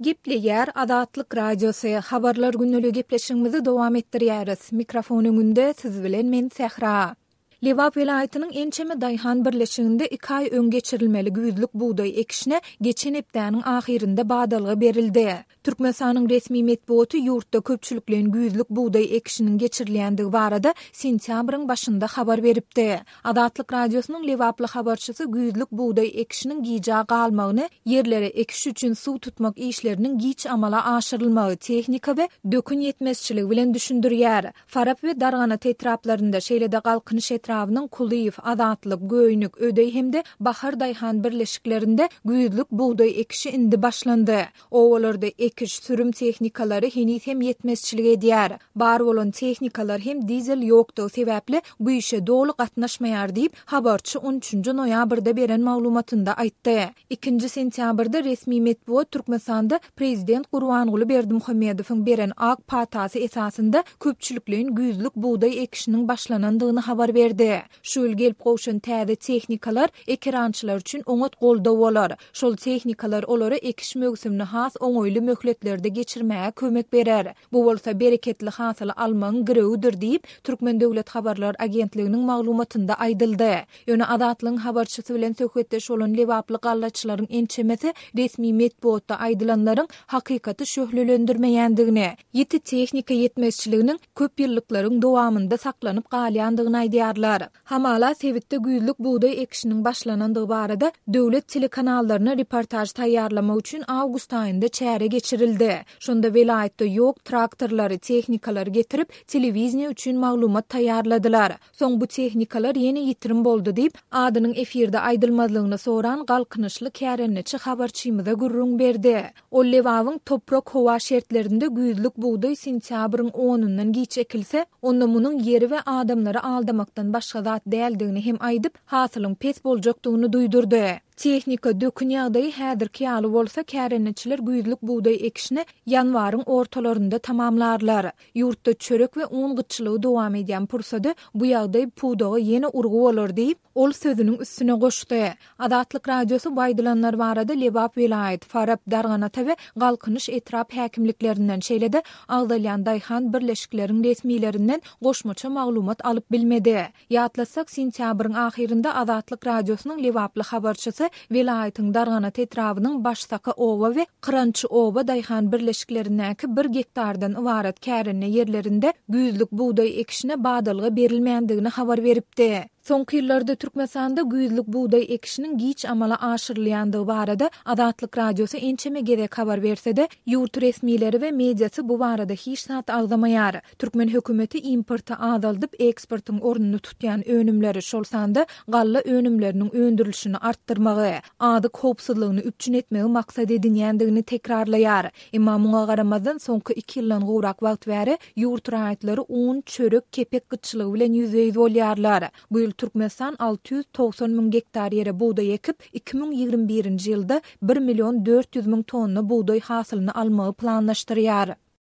Gepleýär Azatlyk Radiosy, Habarlar gündeligi gepleşigimizi dowam etdirýäris. Mikrofon öňünde siz bilen men Sähra. Lebap welaýatynyň ençeme daýhan birleşiginde iki aý öň geçirilmeli güýzlük bugdaý ekişine geçen hepdäniň ahyrynda badalga berildi. Türkmenistanyň resmi metbugaty ýurtda köpçülikleýin güýzlük bugdaý ekişiniň geçirilýändigi barada sentýabryň başynda habar beripdi. Azatlyk Radiosynyň lebaply habarçysy güýzlük bugdaý ekişiniň gijä galmagyny ýerlere ekiş üçin suw tutmak işleriniň giç amala aşyrylmagy, tehnika we dökün ýetmezçiligi bilen düşündirýär. Farap we Darganata etraplarynda, şeýle-de Galkynyş etrabynyň Kulyýew, Azatlyk, Göýnük, Ödeý hem-de Bahar daýhan birleşiklerinde güýzlük bugdaý ekişi indi başlandy. Obalarda ekiş, sürüm tehnikalary heniz hem ýetmezçilik edýär. Bar bolan tehnikalar hem dizel ýokdugy sebäpli bu işe doly gatnaşmaýar diýip, habarçy on üçünji noýabrda beren maglumatynda aýtdy. Ikinji sentýabrda resmi metbugat Türkmenistanda prezident Gurbanguly Berdimuhamedowyň beren ak patasy esasynda köpçülikleýin güýzlük bugdaý ekişiniň başlanandygyny habar berdi. Şu ýyl gelip gowşan täze tehnikalar ekerançylar üçin oňat goldaw bolar. Şol tehnikalar olara ekiş möwsümini has oňaýly möhletlerde geçirmäge kömek berer. Bu bolsa bereketli hasyly almagyň girewidir diýip, Türkmen döwlet habarlar agentliginiň maglumatynda aýdyldy. Ýöne Azatlygyň habarçysy bilen söhbetdeş bolan lebaply gallaçylaryň ençemesi resmi metbugatda aýdylanlaryň hakykaty şöhlelendirmeýändigini, ýiti tehnika ýetmezçiliginiň köp ýyllyklaryň dowamynda saklanyp galýandygyny aýdýarlar. Hamala sebitde güýzlük bugdaý ekişiniň başlanandygy barada döwlet telekanallaryna reportaž taýýarlamak üçin awgust aýynda çäre geçirildi. Şonda welaýatda ýok traktorlary, tehnikalary getirip, telewideniýe üçin maglumat taýýarladylar. Soň bu tehnikalar ýene ýitirim boldy diýip, adynyň efirde aýdylmazlygyny soran galkynyşly kärendeçi habarçymyza gürrüň berdi. Ol Lebabyň toprak-howa şertlerinde güýzlük bugdaý sentýabryň onundan giç ekilse, onda munuň ýeri we adamlary aldamakdan başga zat däldigini hem aýdyp, hasylyň pes boljakdygyny duýdurdy. Tehnika, dökün ýagdaýy häzirki ýaly bolsa, kärendeçiler güýzlük bugdaý ekişini ýanwaryň ortalarynda tamamlarlar. Ýurtda çörek we un gytçylygy dowam edýän pursady bu ýagdaý pudaga ýene urgy bolar diýip, ol sözüniň üstüne goşdy. Azatlyk Radiosy bu aýdylanlar barada Lebap welaýat, Farap, Darganata we Galkynyş etrap häkimliklerinden, şeýle-de agzalýan daýhan birleşikleriň resmilerinden goşmaça maglumat alyp bilmedi. Ýatlatsak, sentýabryň ahyrynda Azatlyk Radiosynyň lebaply habarçysy welaýatyň Darganata etrabynyň Başsaka oba we Kyrançy oba daýhan birleşiklerindäki bir gektardan ybarat kärende ýerlerinde güýzlük bugdaý ekişine badalga berilmändigini habar beripdi. Soňky ýyllarda Türkmenistanda güýzlük bugdaý ekişiniň giç amala aşyrylýandygy barada Azatlyk Radiosy ençeme gezek habar berse-de, ýurt resmileri we mediasy bu barada hiç zat agzamaýar. Türkmen hökümeti importy azaldyp, eksportyň ornuny tutýan önümleri, şol sanda galla önümleriniň öndürilişini artdyrmagy, azyk howpsuzlygyny üpjün etmegi maksat edinýändigini tekrarlaýar. Emma muňa garamazdan, soňky iki ýyldan gowrak wagt bäri ýurt raýatlary un, çörek, kepek gytçylygy bilen ýüzbe-ýüz bolýarlar. Bu ýyl Türkmenistan 690 müň gektar ýere bugdaý ekip, 2021-nji ýylda bir million 400 müň tonna bugdaý hasylyny almagy planlaşdyrýar.